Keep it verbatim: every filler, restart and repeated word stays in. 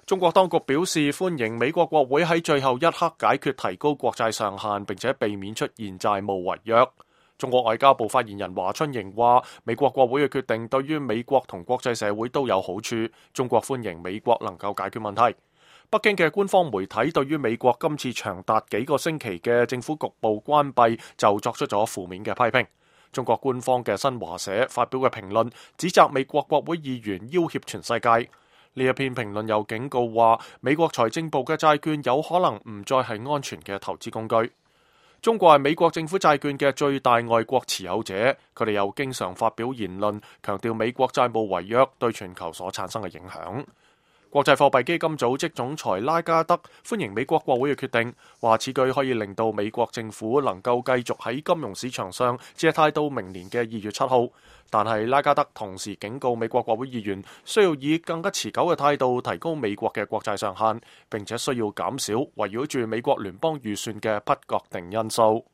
中國當局表示歡迎美國國會喺最後一刻解決提高國債上限，並且避免出現債務違約。中國外交部發言人華春瑩話：美國國會嘅決定對於美國同國際社會都有好處，中國歡迎美國能夠解決問題。北京嘅官方媒體對於美國今次長達幾個星期嘅政府局部關閉就作出咗負面嘅批評。中國官方嘅新華社發表嘅評論指責美國國會議員要挾全世界。呢一篇評論又警告話，美國財政部嘅債券有可能唔再係安全嘅投資工具。中國係美國政府債券嘅最大外國持有者，佢哋又經常發表言論，強調美國債務違約對全球所產生嘅影響。國際貨幣基金組織總裁拉加德歡迎美國國會嘅決定，話此舉可以令到美國政府能夠繼續喺金融市場上借貸到明年嘅二月七號。但係拉加德同時警告美國國會議員需要以更加持久嘅態度提高美國嘅國債上限，並且需要減少圍繞住美國聯邦預算嘅不確定因素。